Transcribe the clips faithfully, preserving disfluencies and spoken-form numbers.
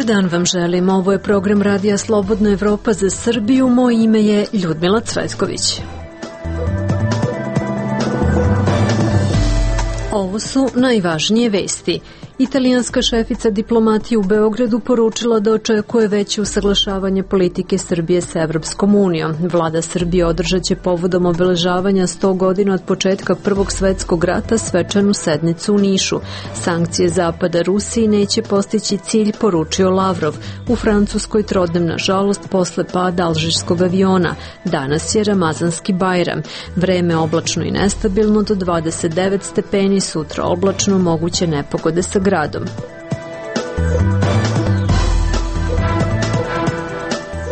dan vam želim. Ovo je program Radija Slobodna Evropa za Srbiju. Moje ime je Ljudmila Cvetković. Ovo su najvažnije vesti. Italijanska šefica diplomatije u Beogradu poručila da očekuje veće usaglašavanje politike Srbije sa Evropskom unijom. Vlada Srbije održat će povodom obeležavanja sto godina od početka Prvog svetskog rata svečanu sednicu u Nišu. Sankcije Zapada Rusiji neće postići cilj, poručio Lavrov. U Francuskoj trodnem nažalost posle pada alžirskog aviona. Danas je Ramazanski Bajram. Vreme oblačno i nestabilno do dvadeset devet stepeni, sutra oblačno, moguće nepogode sa gradom.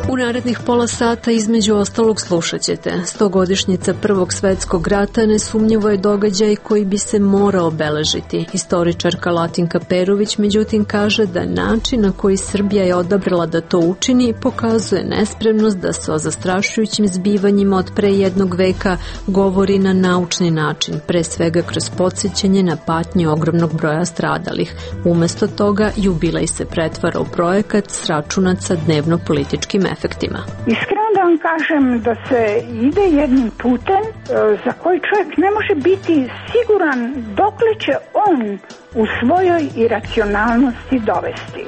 U narednih pola sata između ostalog slušat ćete. Stogodišnjica Prvog svetskog rata nesumnjivo je događaj koji bi se morao obeležiti. Historičarka Latinka Perović međutim kaže da način na koji Srbija je odabrala da to učini pokazuje nespremnost da se o zastrašujućim zbivanjima od pre jednog veka govori na naučni način, pre svega kroz podsjećanje na patnje ogromnog broja stradalih. Umesto toga, jubilej se pretvara u projekat sračunat sa dnevno-političkim efektima. Iskreno da vam kažem da se ide jednim putem za koji čovjek ne može biti siguran dokle će on u svojoj iracionalnosti dovesti.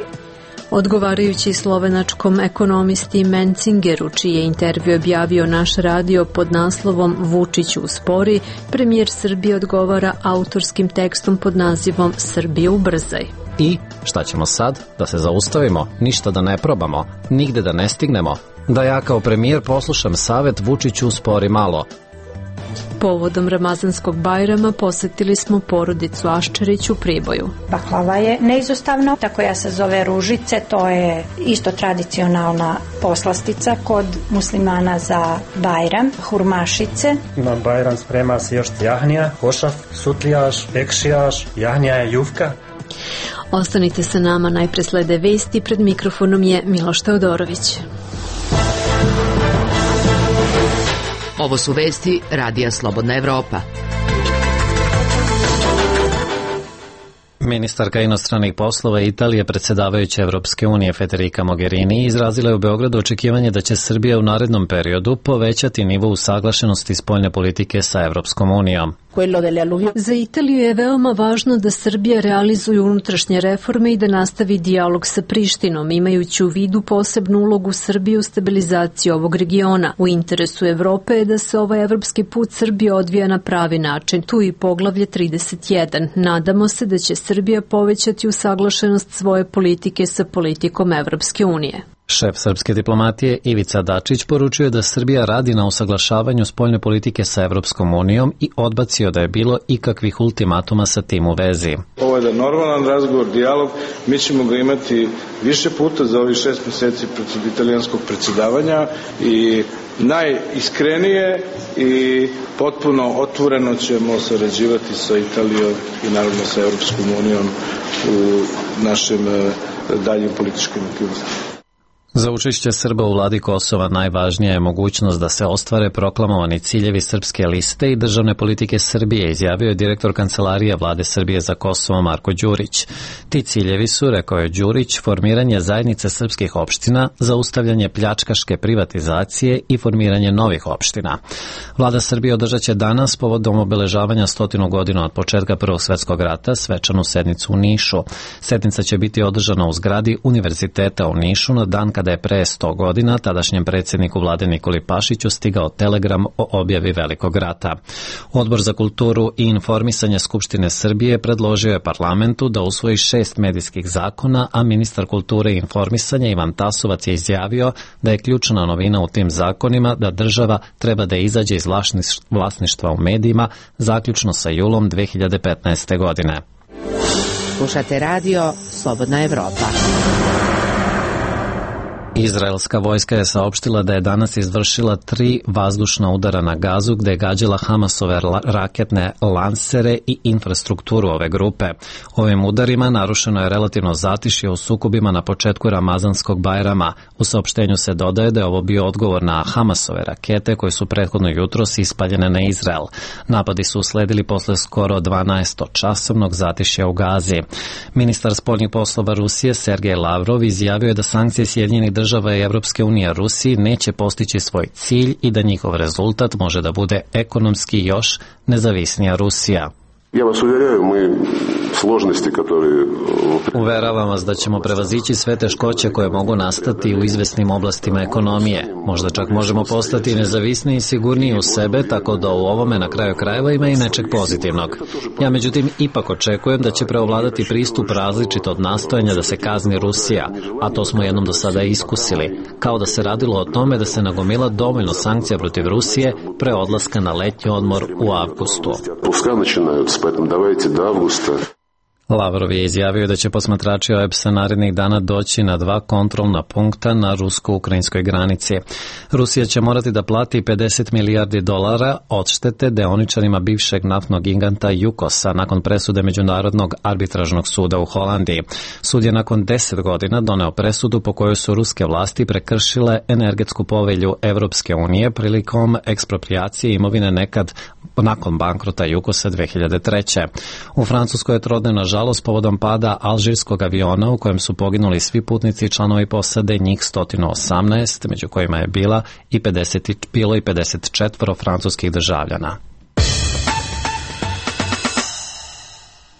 Odgovarajući slovenačkom ekonomisti Mencingeru, čiji je intervju objavio naš radio pod naslovom Vučić uspori, premijer Srbije odgovara autorskim tekstom pod nazivom Srbije ubrzaj. I šta ćemo sad? Da se zaustavimo? Ništa da ne probamo? Nigde da ne stignemo? Da ja kao premijer poslušam savet Vučiću uspori malo. Povodom Ramazanskog Bajrama posetili smo porodicu Aščerić u Priboju. Baklava je neizostavno, ta koja se zove ružice, to je isto tradicionalna poslastica kod muslimana za Bajram, hurmašice. Na Bajram sprema se još jahnija, hošaf, sutlijaš, ekšijaš, jahnija je jufka. Ostanite sa nama, najpre slede vesti, pred mikrofonom je Miloš Teodorović. Ovo su vesti Radija Slobodna Evropa. Ministarka inostranih poslova Italije, predsjedavajuća Evropske unije Federica Mogherini, izrazila je u Beogradu očekivanje da će Srbija u narednom periodu povećati nivo usaglašenosti spoljne politike sa Evropskom unijom. Za Italiju je veoma važno da Srbija realizuje unutrašnje reforme i da nastavi dijalog sa Prištinom, imajući u vidu posebnu ulogu Srbije u stabilizaciji ovog regiona. U interesu Evrope je da se ovaj evropski put Srbije odvija na pravi način. Tu i poglavlje trideset jedan. Nadamo se da će Srbija povećati usaglašenost svoje politike sa politikom Evropske unije. Šef srpske diplomatije Ivica Dačić poručuje da Srbija radi na usaglašavanju spoljne politike sa Evropskom unijom i odbacio da je bilo ikakvih ultimatuma sa tim u vezi. Ovo je da normalan razgovor, dijalog, mi ćemo ga imati više puta za ovih šest meseci pred italijanskog predsjedavanja i najiskrenije i potpuno otvoreno ćemo sarađivati sa Italijom i naravno sa Evropskom unijom u našim daljim političkim aktivnostima. Za učešće Srba u vladi Kosova najvažnija je mogućnost da se ostvare proklamovani ciljevi srpske liste i državne politike Srbije, izjavio je direktor Kancelarije vlade Srbije za Kosovo Marko Đurić. Ti ciljevi su, rekao je Đurić, formiranje zajednice srpskih opština, zaustavljanje pljačkaške privatizacije i formiranje novih opština. Vlada Srbije održat će danas povodom obeležavanja stotinu godina od početka Prvog svetskog rata svečanu sednicu u Nišu. Sednica će biti održana u zgradi Univerziteta u Nišu na dan kada da je pre sto godina tadašnjem predsjedniku vlade Nikoli Pašiću stigao telegram o objavi Velikog rata. Odbor za kulturu i informisanje Skupštine Srbije predložio je parlamentu da usvoji šest medijskih zakona, a ministar kulture i informisanja Ivan Tasovac je izjavio da je ključna novina u tim zakonima da država treba da izađe iz vlasništva u medijima zaključno sa julom dve hiljade petnaeste. godine. Slušate radio Slobodna Evropa. Izraelska vojska je saopštila da je danas izvršila tri vazdušna udara na Gazu gde je gađala Hamasove raketne lansere i infrastrukturu ove grupe. Ovim udarima narušeno je relativno zatišje u sukobima na početku Ramazanskog Bajrama. U saopštenju se dodaje da je ovo bio odgovor na Hamasove rakete koje su prethodno jutros ispaljene na Izrael. Napadi su usledili posle skoro dvanaestočasovnog zatišja u Gazi. Ministar spoljnih poslova Rusije Sergej Lavrov izjavio je da sankcije Sjedinjenih država država i Evropske unije Rusiji neće postići svoj cilj i da njihov rezultat može da bude ekonomski još nezavisnija Rusija. Ja vas uvjeraju, mi složnosti koje... Uveravam vas da ćemo prevazići sve teškoće koje mogu nastati u izvesnim oblastima ekonomije. Možda čak možemo postati nezavisniji i sigurniji u sebe, tako da u ovome na kraju krajeva ima i nečeg pozitivnog. Ja međutim ipak očekujem da će preovladati pristup različit od nastojanja da se kazni Rusija, a to smo jednom do sada iskusili, kao da se radilo o tome da se nagomila dovoljno sankcija protiv Rusije pre odlaska na letnji odmor u avgustu. Lavrov je izjavio da će posmatrači O E B S-a narednih dana doći na dva kontrolna punkta na rusko-ukrajinskoj granici. Rusija će morati da plati pedeset milijardi dolara odštete deoničarima bivšeg naftnog giganta Jukosa nakon presude Međunarodnog arbitražnog suda u Holandiji. Sud je nakon deset godina doneo presudu po kojoj su ruske vlasti prekršile energetsku povelju Evropske unije prilikom eksproprijacije imovine nekad nakon bankrota Jukosa dve hiljade treće. U Francuskoj je trodnevna žalost povodom pada alžirskog aviona u kojem su poginuli svi putnici i članovi posade, njih sto osamnaest, među kojima je bila i pedeset, bilo i pedeset četiri francuskih državljana.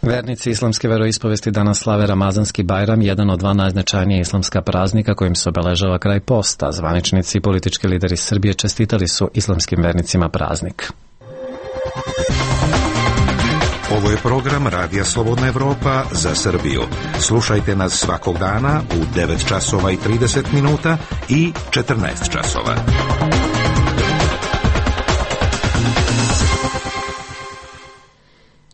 Vernici islamske veroispovesti danas slave Ramazanski Bajram, jedan od dva najznačajnija islamska praznika kojim se obeležava kraj posta. Zvaničnici i politički lideri Srbije čestitali su islamskim vernicima praznik. Ovo je program Radija Slobodna Evropa za Srbiju. Slušajte nas svakog dana u devet časova i trideset minuta i četrnaest časova.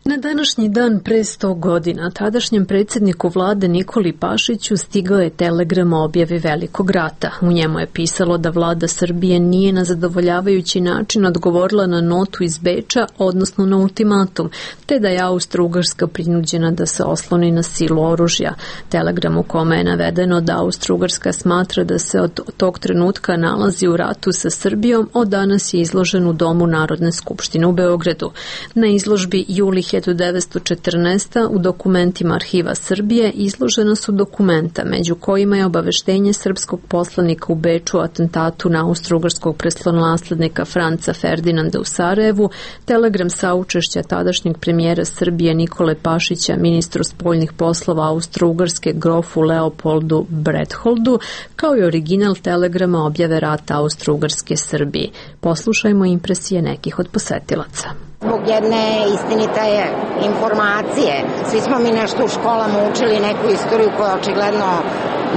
Na današnji dan pre sto godina tadašnjem predsjedniku vlade Nikoli Pašiću stigao je telegram o objavi Velikog rata. U njemu je pisalo da vlada Srbije nije na zadovoljavajući način odgovorila na notu iz Beča, odnosno na ultimatum, te da je Austro-Ugarska prinuđena da se osloni na silu oružja. Telegram u kome je navedeno da Austro-Ugarska smatra da se od tog trenutka nalazi u ratu sa Srbijom, od danas je izložen u Domu Narodne skupštine u Beogradu. Na izložbi Juli hiljadu devetsto četrnaeste. u dokumentima Arhiva Srbije izložena su dokumenta, među kojima je obaveštenje srpskog poslanika u Beču o atentatu na austro-ugarskog prestolonaslednika Franca Ferdinanda u Sarajevu, telegram saučešća tadašnjeg premijera Srbije Nikole Pašića ministru spoljnih poslova Austro-Ugarske grofu Leopoldu Bretholdu, kao i original telegrama objave rata Austro-Ugarske Srbiji. Poslušajmo impresije nekih od posetilaca. Zbog jedne istinite informacije. Svi smo mi nešto u školama učili, neku istoriju koja očigledno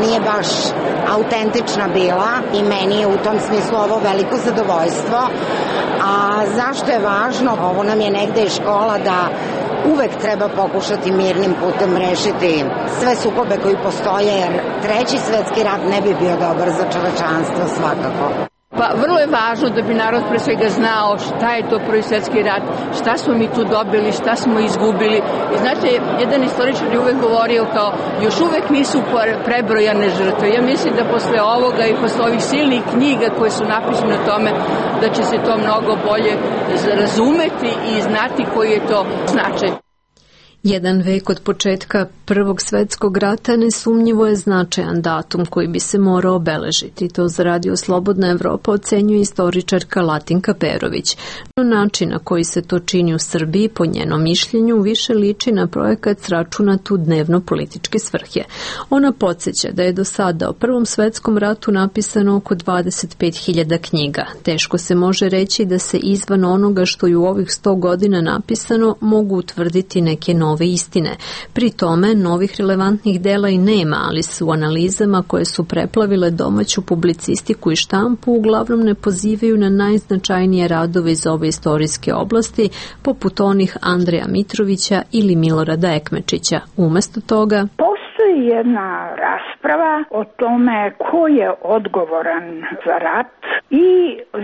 nije baš autentična bila i meni je u tom smislu ovo veliko zadovoljstvo. A zašto je važno? Ovo nam je negde i škola da uvek treba pokušati mirnim putem rešiti sve sukobe koji postoje, jer treći svetski rat ne bi bio dobar za čovečanstvo svakako. Pa vrlo je važno da bi narod pre svega znao šta je to Prvi svjetski rat, šta smo mi tu dobili, šta smo izgubili. I znate, jedan istoričar je uvek govorio kao još uvek nisu prebrojane žrtve. Ja mislim da posle ovoga i posle ovih silnih knjiga koje su napisane o tome, da će se to mnogo bolje razumeti i znati koji je to značaj. Jedan vek od početka Prvog svjetskog rata nesumnjivo je značajan datum koji bi se morao obeležiti. To za Radio Slobodna Evropa ocenjuje istoričarka Latinka Perović. No način na koji se to čini u Srbiji, po njenom mišljenju, više liči na projekat sračunat u dnevno-političke svrhe. Ona podsjeća da je do sada o Prvom svjetskom ratu napisano oko dvadeset pet hiljada knjiga. Teško se može reći da se izvan onoga što je u ovih sto godina napisano mogu utvrditi neke nove istine. Pri tome, novih relevantnih dela i nema, ali su u analizama koje su preplavile domaću publicistiku i štampu uglavnom ne pozivaju na najznačajnije radove iz ove istorijske oblasti, poput onih Andreja Mitrovića ili Milorada Ekmečića. Umesto toga... Postoji postoji jedna rasprava o tome ko je odgovoran za rat i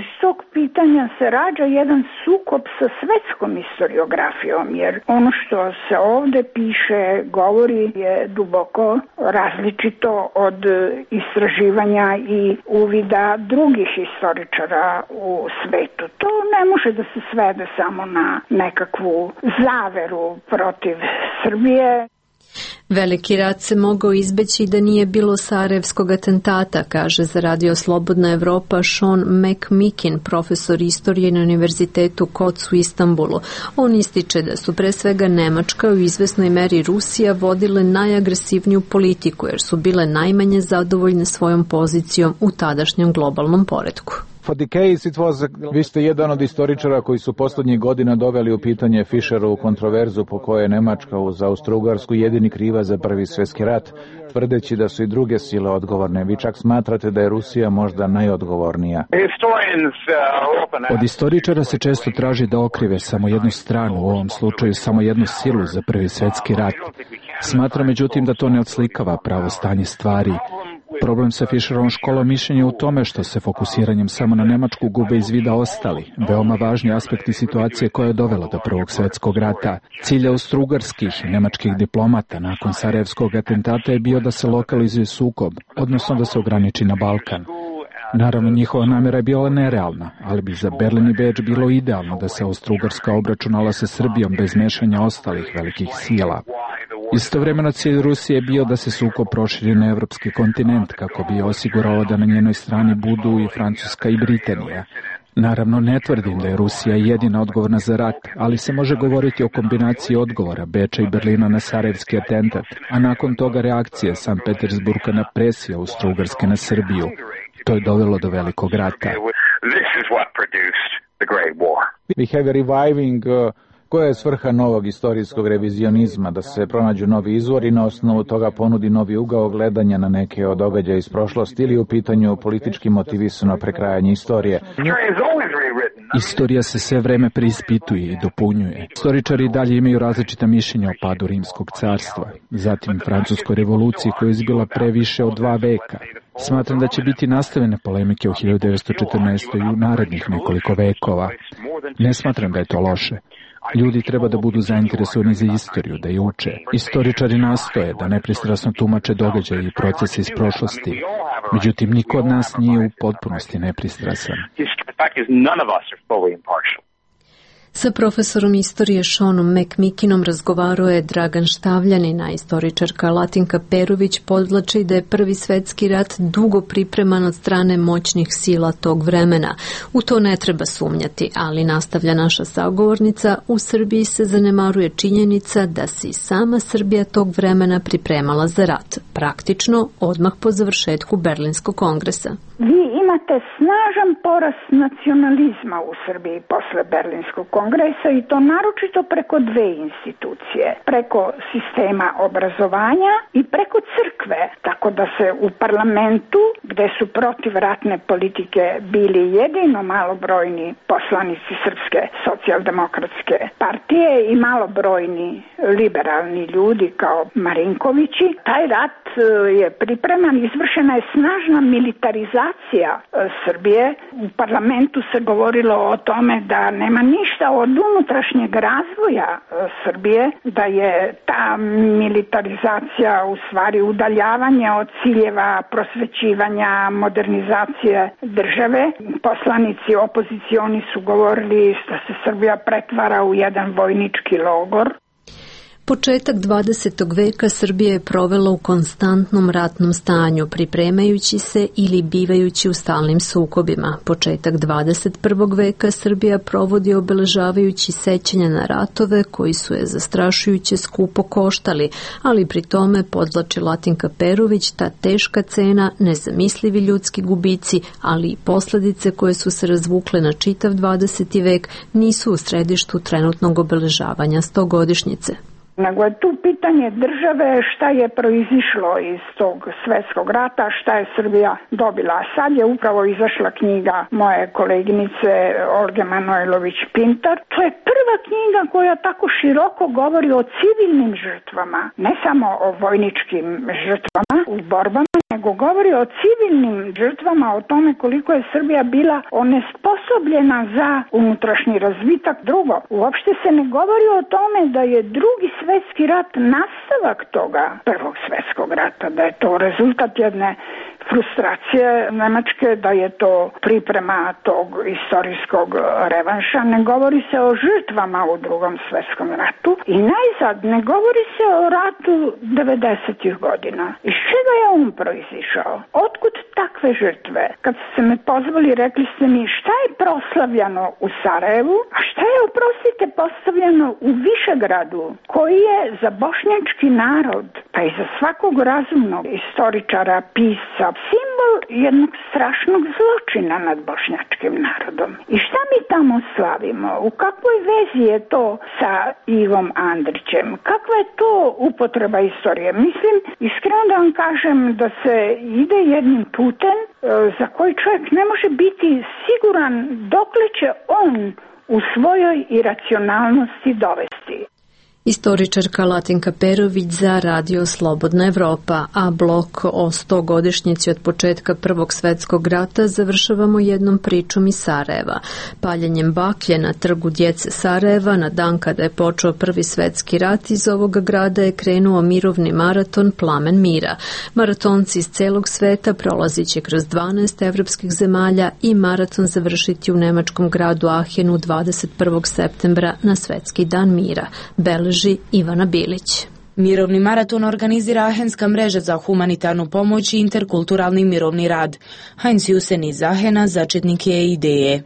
iz tog pitanja se rađa jedan sukob sa svetskom historiografijom, jer ono što se ovde piše, govori je duboko različito od istraživanja i uvida drugih historičara u svetu. To ne može da se svede samo na nekakvu zaveru protiv Srbije. Veliki rat se mogao izbeći da nije bilo Sarajevskog atentata, kaže za Radio Slobodna Evropa Sean McMikin, profesor istorije na Univerzitetu Koc u Istanbulu. On ističe da su pre svega Nemačka u izvesnoj meri Rusija vodile najagresivniju politiku jer su bile najmanje zadovoljne svojom pozicijom u tadašnjem globalnom poretku. Vi ste jedan od istoričara koji su poslednjih godina doveli u pitanje Fischerovu kontroverzu po kojoj je Nemačka uz Austro-Ugarsku jedini kriva za Prvi svjetski rat, tvrdeći da su i druge sile odgovorne. Vi čak smatrate da je Rusija možda najodgovornija. Od istoričara se često traži da okrive samo jednu stranu, u ovom slučaju samo jednu silu za Prvi svjetski rat. Smatram međutim da to ne odslikava pravo stanje stvari. Problem sa Fischerovom školom mišljenja u tome što se fokusiranjem samo na Nemačku gube iz vida ostali, veoma važni aspekti situacije koja je dovela do Prvog svjetskog rata. Cilj austrougarskih i nemačkih diplomata nakon Sarajevskog atentata je bio da se lokalizuje sukob, odnosno da se ograniči na Balkan. Naravno, njihova namjera je bila nerealna, ali bi za Berlin i Beč bilo idealno da se Austro-Ugarska obračunala sa Srbijom bez mešanja ostalih velikih sila. Istovremeno cilj Rusije je bio da se sukob proširi na evropski kontinent kako bi osigurao da na njenoj strani budu i Francuska i Britanija. Naravno, ne tvrdim da je Rusija jedina odgovorna za rat, ali se može govoriti o kombinaciji odgovora Beča i Berlina na Sarajevski atentat, a nakon toga reakcije Sankt Petersburga na presiju Austro-Ugarske na Srbiju. To je dovelo do velikog rata. We have a reviving uh... Koja je svrha novog istorijskog revizionizma? Da se pronađu novi izvori i na osnovu toga ponudi novi ugao gledanja na neke od događaja iz prošlosti ili u pitanju politički motivisano prekrajanje istorije? Istorija se sve vreme preispituje i dopunjuje. Istoričari dalje imaju različita mišljenja o padu Rimskog carstva, zatim Francuskoj revoluciji koja je izbila pre više od dva veka. Smatram da će biti nastavljene polemike o hiljadu devetsto četrnaestoj i u narednih nekoliko vekova. Ne smatram da je to loše. Ljudi treba da budu zainteresovani za istoriju, da je uče. Istoričari nastoje da nepristrasno tumače događaje i procese iz prošlosti. Međutim, niko od nas nije u potpunosti nepristrasan. Sa profesorom istorije Seanom McMikinom razgovarao je Dragan Štavljanin, a istoričarka Latinka Perović podvlači da je Prvi svjetski rat dugo pripreman od strane moćnih sila tog vremena. U to ne treba sumnjati, ali nastavlja naša sagovornica, u Srbiji se zanemaruje činjenica da se i sama Srbija tog vremena pripremala za rat, praktično odmah po završetku Berlinskog kongresa. Vi imate snažan porast nacionalizma u Srbiji posle Berlinskog kongresa i to naročito preko dve institucije, preko sistema obrazovanja i preko crkve, tako da se u parlamentu, gde su protiv ratne politike bili jedino malobrojni poslanici Srpske socijaldemokratske partije i malobrojni liberalni ljudi kao Marinkovići, taj rat je pripreman, izvršena je snažna militarizacija Srbije. U parlamentu se govorilo o tome da nema ništa od unutrašnjeg razvoja Srbije, da je ta militarizacija u stvari udaljavanje od ciljeva prosvećivanja, modernizacije države. Poslanici opozicioni su govorili da se Srbija pretvara u jedan vojnički logor. Početak dvadesetog veka Srbija je provela u konstantnom ratnom stanju, pripremajući se ili bivajući u stalnim sukobima. Početak dvadeset prvog veka Srbija provodi obeležavajući sećanja na ratove koji su je zastrašujuće skupo koštali, ali pri tome, podvlači Latinka Perović, ta teška cena, nezamislivi ljudski gubici, ali i posledice koje su se razvukle na čitav dvadeseti vek nisu u središtu trenutnog obeležavanja stogodišnjice. nego je tu pitanje države, šta je proizišlo iz tog svetskog rata, šta je Srbija dobila. A sad je upravo izašla knjiga moje koleginice Olge Manojlović-Pintar. To je prva knjiga koja tako široko govori o civilnim žrtvama, ne samo o vojničkim žrtvama u borbama, nego govori o civilnim žrtvama, o tome koliko je Srbija bila onesposobljena za unutrašnji razvitak. Drugo, uopšte se ne govori o tome da je drugi svetski rat nastavak toga prvog svetskog rata, da je to rezultat jedne frustracije Nemačke, da je to priprema tog istorijskog revanša. Ne govori se o žrtvama u drugom svetskom ratu i najzad ne govori se o ratu devedesetih godina. Iz čega je on proizišao? Otkud takve žrtve? Kad ste me pozvali, rekli ste mi šta je proslavljano u Sarajevu, a šta je, oprostite, postavljeno u Višegradu, koji je za bošnjački narod, pa i za svakog razumnog istoričara, pisca, simbol jednog strašnog zločina nad bošnjačkim narodom. I šta mi tamo slavimo? U kakvoj vezi je to sa Ivom Andrićem? Kakva je to upotreba istorije? Mislim, iskreno da vam kažem da se ide jednim putem za koji čovjek ne može biti siguran dokle će on u svojoj iracionalnosti dovesti. Istoričarka Latinka Perović za Radio Slobodna Evropa, a blok o stogodišnjici od početka Prvog svetskog rata završavamo jednom pričom iz Sarajeva. Paljenjem baklje na trgu djece Sarajeva na dan kada je počeo Prvi svetski rat, iz ovoga grada je krenuo mirovni maraton Plamen mira. Maratonci iz celog sveta prolazit će kroz dvanaest evropskih zemalja i maraton završiti u nemačkom gradu Ahenu dvadeset prvog septembra na Svetski dan mira. Beleži Ivana Bilić. Mirovni maraton organizira Ahenska mreža za humanitarnu pomoć i interkulturalni mirovni rad. Heinz Jusen iz Ahena začetnik je ideje.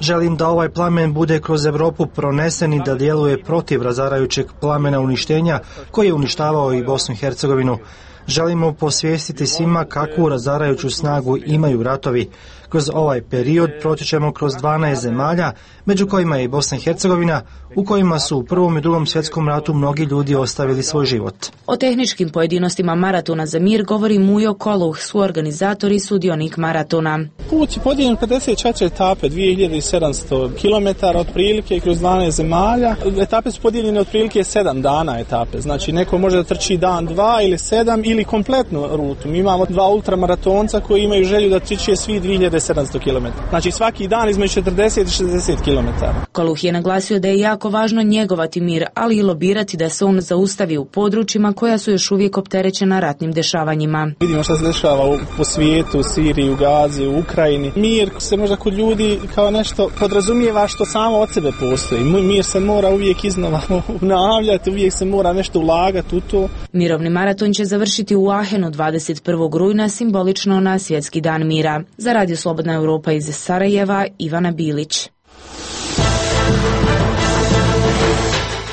Želim da ovaj plamen bude kroz Evropu pronesen i da djeluje protiv razarajućeg plamena uništenja koji je uništavao i Bosnu i Hercegovinu. Želimo posvijestiti svima kakvu razarajuću snagu imaju ratovi. Kroz ovaj period proći ćemo kroz dvanaest zemalja, među kojima je i Bosna i Hercegovina, u kojima su u Prvom i Drugom svjetskom ratu mnogi ljudi ostavili svoj život. O tehničkim pojedinostima maratona za mir govori Mujo Koluh, suorganizator i sudionik maratona. Put je podijeljen pedeset četiri etape, dvije hiljade sedamsto kilometara otprilike kroz dvanaest zemalja. Etape su podijeljene otprilike sedam dana etape, znači neko može da trči dan, dva ili sedam ili kompletnu rutu. Mi imamo dva ultramaratonca koji imaju želju da trče svi dvije hiljade sedamsto kilometara. Znači svaki dan između četrdeset i šezdeset kilometara. Koluh je naglasio da je jako važno njegovati mir, ali i lobirati da se on zaustavi u područjima koja su još uvijek opterećena ratnim dešavanjima. Vidimo šta se dešava u, po svijetu, u Siriji, u Gazi, u Ukrajini. Mir se možda kod ljudi kao nešto podrazumijeva što samo od sebe postoji. Mir se mora uvijek iznova ponavljati, uvijek se mora nešto ulagati u to. Mirovni maraton će završiti u Ahenu dvadeset prvog rujna, simbolično na Svjetski dan mira. Za Radio Slobodna Evropa iz Sarajeva, Ivana Bilić.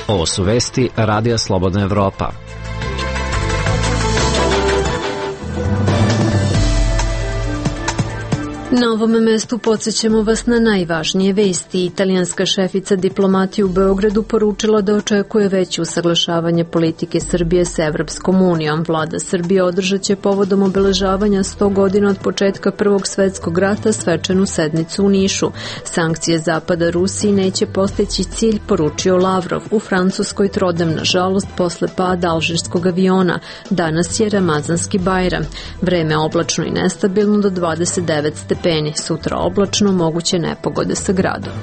Ovo su vesti Radija Slobodna Evropa. Na ovome mestu podsjećamo vas na najvažnije vesti. Italijanska šefica diplomatije u Beogradu poručila da očekuje veće usaglašavanje politike Srbije s Evropskom unijom. Vlada Srbije održat će povodom obeležavanja sto godina od početka Prvog svetskog rata svečanu sednicu u Nišu. Sankcije Zapada Rusiji neće postići cilj, poručio Lavrov. U Francuskoj trodem, nažalost, posle pada alžirskog aviona. Danas je Ramazanski Bajram. Vreme oblačno i nestabilno do dvadeset devet stepeni. Sutra oblačno, moguće nepogode sa gradom.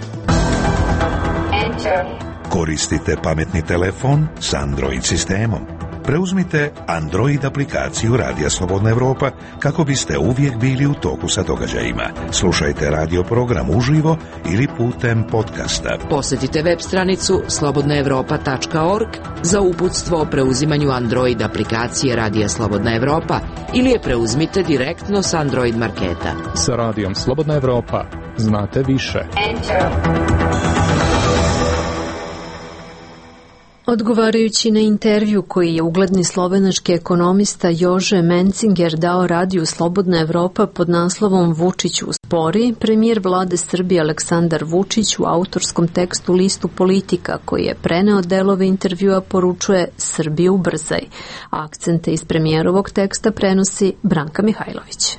Koristite pametni telefon s Android sistemom. Preuzmite Android aplikaciju Radija Slobodna Evropa kako biste uvijek bili u toku sa događajima. Slušajte radio program uživo ili putem podcasta. Posjetite web stranicu slobodna evropa tačka org za uputstvo o preuzimanju Android aplikacije Radija Slobodna Evropa ili je preuzmite direktno s Android marketa. Sa Radijom Slobodna Evropa znate više. Enter. Odgovarajući na intervju koji je ugledni slovenački ekonomista Jože Mencinger dao radiju Slobodna Evropa pod naslovom Vučić uspori, premijer vlade Srbije Aleksandar Vučić u autorskom tekstu listu Politika koji je preneo delove intervjua poručuje Srbiju ubrzaj. Akcente iz premijerovog teksta prenosi Branka Mihajlović.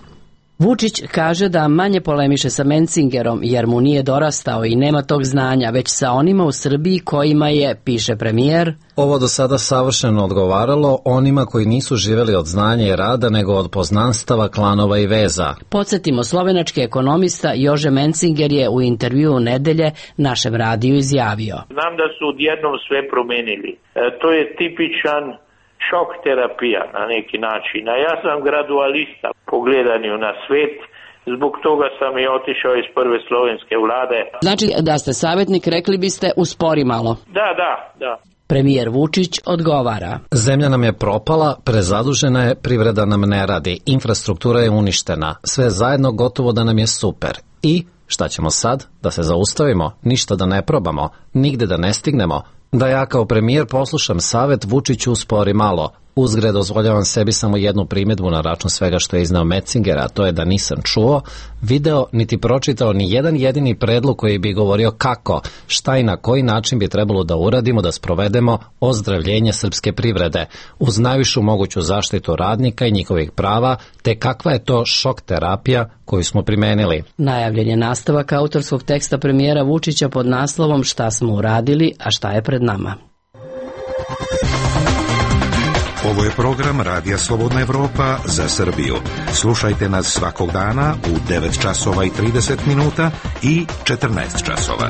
Vučić kaže da manje polemiše sa Mencingerom jer mu nije dorastao i nema tog znanja, već sa onima u Srbiji kojima je, piše premijer, ovo do sada savršeno odgovaralo onima koji nisu živeli od znanja i rada nego od poznanstava, klanova i veza. Podsjetimo, slovenački ekonomista Jože Mencinger je u intervju nedelje našem radiju izjavio. Znam da su odjednom sve promenili. E, to je tipičan šok terapija na neki način. A ja sam gradualista po gledanju na svet, zbog toga sam i otišao iz prve slovenske vlade. Znači da ste savjetnik, rekli biste uspori malo. Da, da, da. Premijer Vučić odgovara. Zemlja nam je propala, prezadužena je, privreda nam ne radi, infrastruktura je uništena, sve zajedno gotovo da nam je super. I šta ćemo sad? Da se zaustavimo, ništa da ne probamo, nigde da ne stignemo, da ja kao premijer poslušam savet Vučiću uspori malo. Uzgred dozvoljavam sebi samo jednu primjedbu na račun svega što je izneo Mencinger, a to je da nisam čuo, video, niti pročitao ni jedan jedini predlog koji bi govorio kako, šta i na koji način bi trebalo da uradimo da sprovedemo ozdravljenje srpske privrede uz najvišu moguću zaštitu radnika i njihovih prava, te kakva je to šok terapija koju smo primenili. Najavljen je nastavak autorskog teksta premijera Vučića pod naslovom Šta smo uradili, a šta je pred nama. Ovo je program Radija Slobodna Evropa za Srbiju. Slušajte nas svakog dana u devet časova i trideset minuta i četrnaest časova.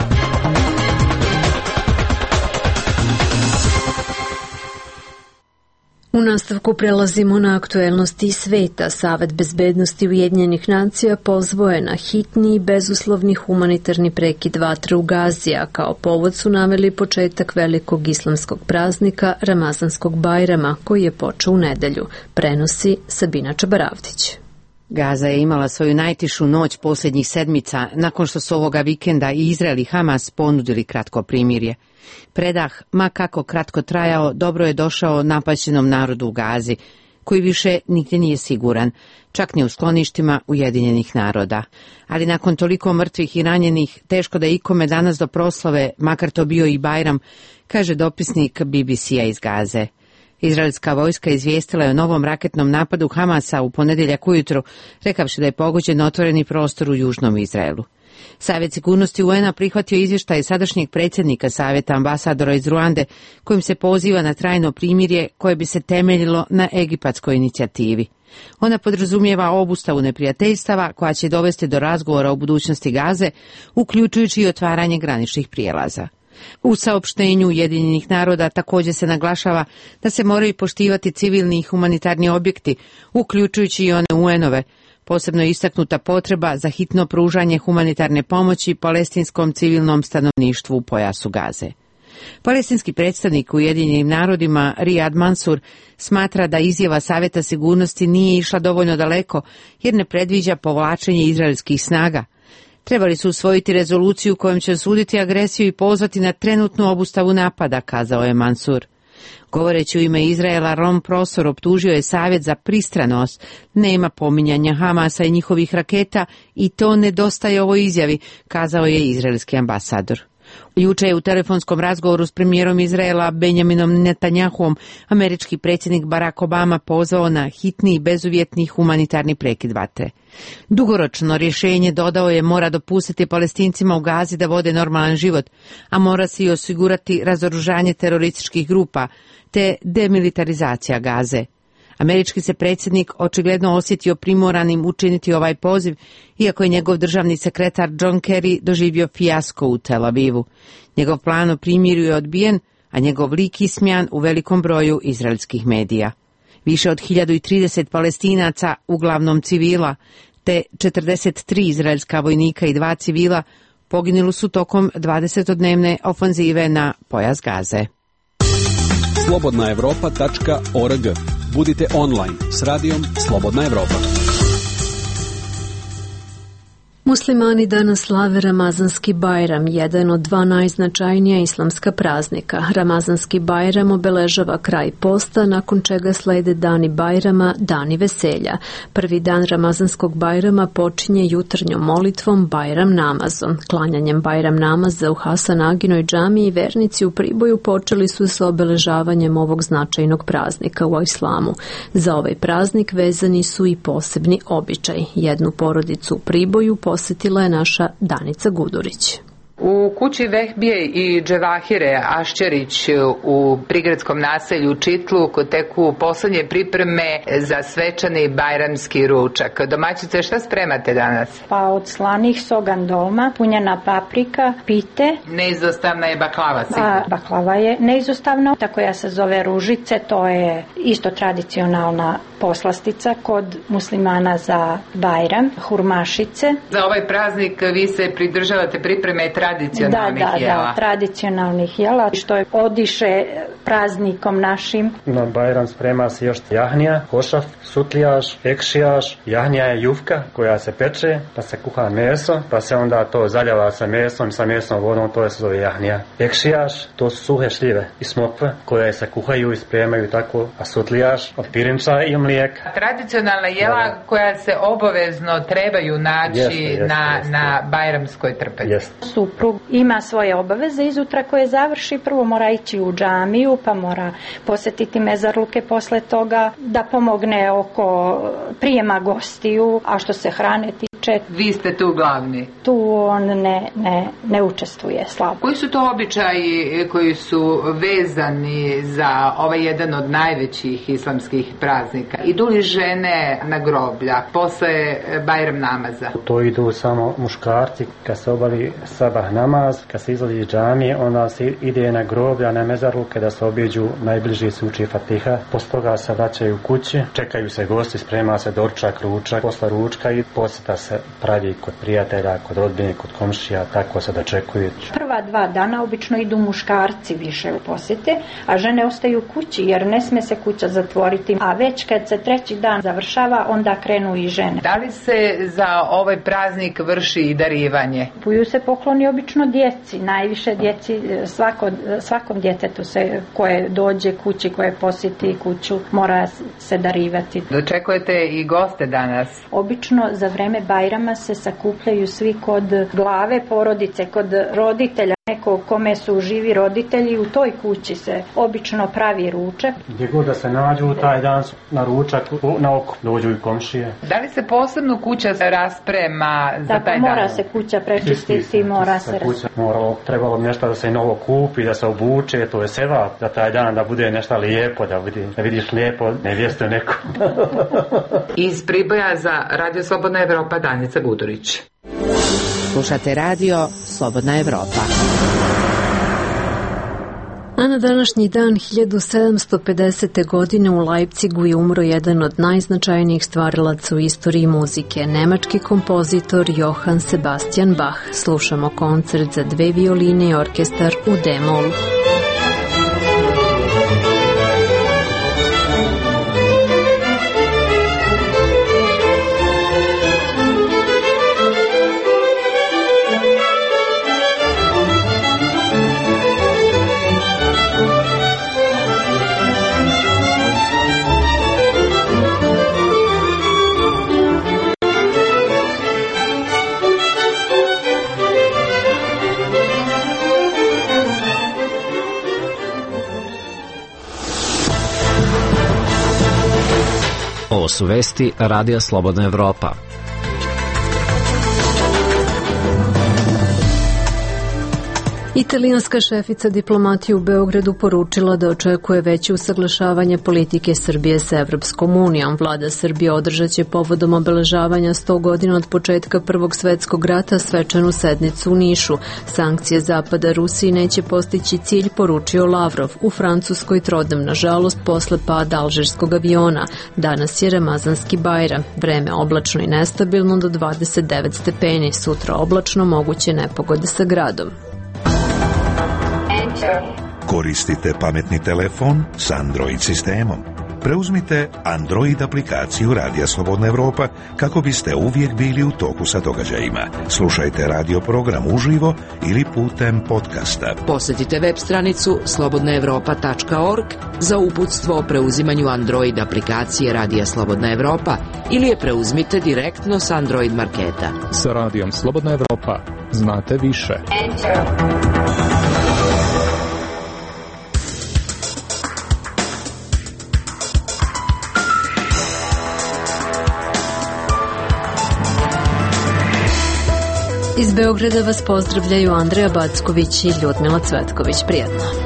U nastavku prelazimo na aktuelnosti sveta. Savet bezbednosti Ujedinjenih nacija pozvao je na hitni i bezuslovni humanitarni prekid vatre u Gazi, a kao povod su naveli početak velikog islamskog praznika Ramazanskog Bajrama, koji je počeo u nedelju, prenosi Sabina Čabaravdić. Gaza je imala svoju najtišu noć posljednjih sedmica nakon što su ovoga vikenda i Izrael i Hamas ponudili kratko primirje. Predah, ma kako kratko trajao, dobro je došao napaćenom narodu u Gazi, koji više nigdje nije siguran, čak ni u skloništima Ujedinjenih naroda. Ali nakon toliko mrtvih i ranjenih, teško da ikome danas do proslave, makar to bio i Bajram, kaže dopisnik B B C-a iz Gaze. Izraelska vojska izvijestila je o novom raketnom napadu Hamasa u ponedjeljak ujutro, rekavši da je pogođen otvoreni prostor u južnom Izraelu. Savjet sigurnosti U N-a prihvatio izvještaj sadašnjeg predsjednika Savjeta, ambasadora iz Ruande, kojim se poziva na trajno primirje koje bi se temeljilo na egipatskoj inicijativi. Ona podrazumijeva obustavu neprijateljstava koja će dovesti do razgovora o budućnosti Gaze, uključujući i otvaranje graničnih prijelaza. U saopštenju Ujedinjenih naroda također se naglašava da se moraju poštivati civilni i humanitarni objekti, uključujući i one U N-ove. Posebno je istaknuta potreba za hitno pružanje humanitarne pomoći palestinskom civilnom stanovništvu u pojasu Gaze. Palestinski predstavnik u Ujedinjenim narodima Riyad Mansour smatra da izjava Savjeta sigurnosti nije išla dovoljno daleko jer ne predviđa povlačenje izraelskih snaga. Trebali su usvojiti rezoluciju kojom će osuditi agresiju i pozvati na trenutnu obustavu napada, kazao je Mansur. Govoreći u ime Izraela, Ron Prosor optužio je Savjet za pristranost, nema pominjanja Hamasa i njihovih raketa i to nedostaje ovoj izjavi, kazao je izraelski ambasador. Juče je u telefonskom razgovoru s premijerom Izraela Benjaminom Netanjahuom američki predsjednik Barack Obama pozvao na hitni i bezuvjetni humanitarni prekid vatre. Dugoročno rješenje, dodao je, mora dopustiti Palestincima u Gazi da vode normalan život, a mora se i osigurati razoružanje terorističkih grupa te demilitarizacija Gaze. Američki se predsjednik očigledno osjetio primoranim učiniti ovaj poziv, iako je njegov državni sekretar John Kerry doživio fijasko u Tel Avivu. Njegov plan o primirju je odbijen, a njegov lik ismjan u velikom broju izraelskih medija. Više od hiljadu trideset Palestinaca, uglavnom civila, te četrdeset tri izraelska vojnika i dva civila poginuli su tokom dvadesetodnevne ofanzive na pojas Gaze. slobodna evropa tačka org. Budite online s radijom Slobodna Evropa. Muslimani danas slave Ramazanski Bajram, jedan od dva najznačajnija islamska praznika. Ramazanski Bajram obeležava kraj posta, nakon čega slede dani Bajrama, dani veselja. Prvi dan Ramazanskog Bajrama počinje jutarnjom molitvom Bajram namazom. Klanjanjem Bajram namaza u Hasan Aginoj džamiji vernici u Priboju počeli su sa obeležavanjem ovog značajnog praznika u islamu. Za ovaj praznik vezani su i posebni običaj. Jednu porodicu u Priboju posjetila je naša Danica Gudurić. U kući Vehbije i Dževahire Ašćerić u prigradskom naselju Čitluk teku poslednje pripreme za svečani bajramski ručak. Domaćice, šta spremate danas? Pa od slanih sogan dolma, punjena paprika, pite. Neizostavna je baklava sigurno. A baklava je neizostavna, ta koja se zove ružice, to je isto tradicionalna poslastica kod muslimana za Bajram, hurmašice. Za ovaj praznik vi se pridržavate pripreme tradicionalnih da, da, jela. Da, tradicionalnih jela, što je odiše praznikom našim. Na Bajram sprema se još jahnija, košaf, sutlijaš, ekšijaš. Jahnija je jufka koja se peče, pa se kuha meso, pa se onda to zaljeva sa mesom, sa mesnom vodom, to se zove jahnija. Ekšijaš, to su suhe šljive i smokve koje se kuhaju i spremaju tako, a sutlijaš od pirinča i mlijeka. Tradicionalna jela da, koja se obavezno trebaju naći jeste, jeste, na, jeste. na bajramskoj trpezi. Suprug ima svoje obaveze izutra koje završi, prvo mora ići u džamiju, pa mora posjetiti mezarluke posle toga, da pomogne oko prijema gostiju, a što se hrane tiče. Vi ste tu glavni. Tu on ne, ne, ne učestvuje slabo. Koji su to običaji koji su vezani za ovaj jedan od najvećih islamskih praznika? Idu li žene na groblja posle Bajram namaza? To idu samo muškarci, kad se obavi sabah namaz, kad se izlazi iz džamije, onda se ide na groblja, na mezarluke da se obiđu, najbliži se uči Fatiha, posle toga se vraćaju kući, čekaju se gosti, sprema se doručak, ručak, posle ručka i posjeta se pravi kod prijatelja, kod rodbine, kod komšija, tako se dočekuju. Prva dva dana obično idu muškarci više u posjete, a žene ostaju kući jer ne sme se kuća zatvoriti, a već kad se treći dan završava, onda krenu i žene. Da li se za ovaj praznik vrši i darivanje? Kupuju se pokloni obično djeci, najviše djeci, svako, svakom djetetu se, koje dođe kući, koje posjeti kuću, mora se darivati. Dočekujete i goste danas? Obično za vreme Bajrama se sakupljaju svi kod glave porodice, kod roditelja, neko kome su živi roditelji, u toj kući se obično pravi ručak. Gdje god da se nađu, taj dan na ručak, na oko dođu i komšije. Da li se posebno kuća rasprema za Tako, taj dan? Mora se kuća prečistiti, mora se... Kuća, moralo, trebalo bi nešto da se novo kupi, da se obuče, to je seva, da taj dan da bude nešto lijepo, da, vidi, da vidiš lijepo nevjestu neku. Iz Priboja za Radio Slobodna Evropa, Danica Gudurić. Slušate radio Slobodna Evropa. A na današnji dan hiljadu sedamsto pedesete. godine u Leipzigu je umro jedan od najznačajnijih stvarilaca u istoriji muzike, nemački kompozitor Johann Sebastian Bach. Slušamo koncert za dve violine i orkestar u D-molu. Ovo su vesti Radija Slobodna Evropa. Italijanska šefica diplomatije u Beogradu poručila da očekuje veće usaglašavanje politike Srbije sa Evropskom unijom. Vlada Srbije održaće povodom obeležavanja sto godina od početka Prvog svetskog rata svečanu sednicu u Nišu. Sankcije Zapada Rusiji neće postići cilj, poručio Lavrov. U Francuskoj trodnem, nažalost, posle pada alžirskog aviona. Danas je Ramazanski Bajram. Vreme oblačno i nestabilno do dvadeset devet stepeni. Sutra oblačno, moguće nepogode sa gradom. Koristite pametni telefon s Android sistemom. Preuzmite Android aplikaciju Radija Slobodna Evropa kako biste uvijek bili u toku sa događajima. Slušajte radio program uživo ili putem podcasta. Posjetite web stranicu slobodna evropa tačka org za uputstvo o preuzimanju Android aplikacije Radija Slobodna Evropa ili je preuzmite direktno s Android marketa. Sa Radijom Slobodna Evropa znate više. Enter. Iz Beograda vas pozdravljaju Andreja Backović i Ljudmila Cvetković. Prijetno.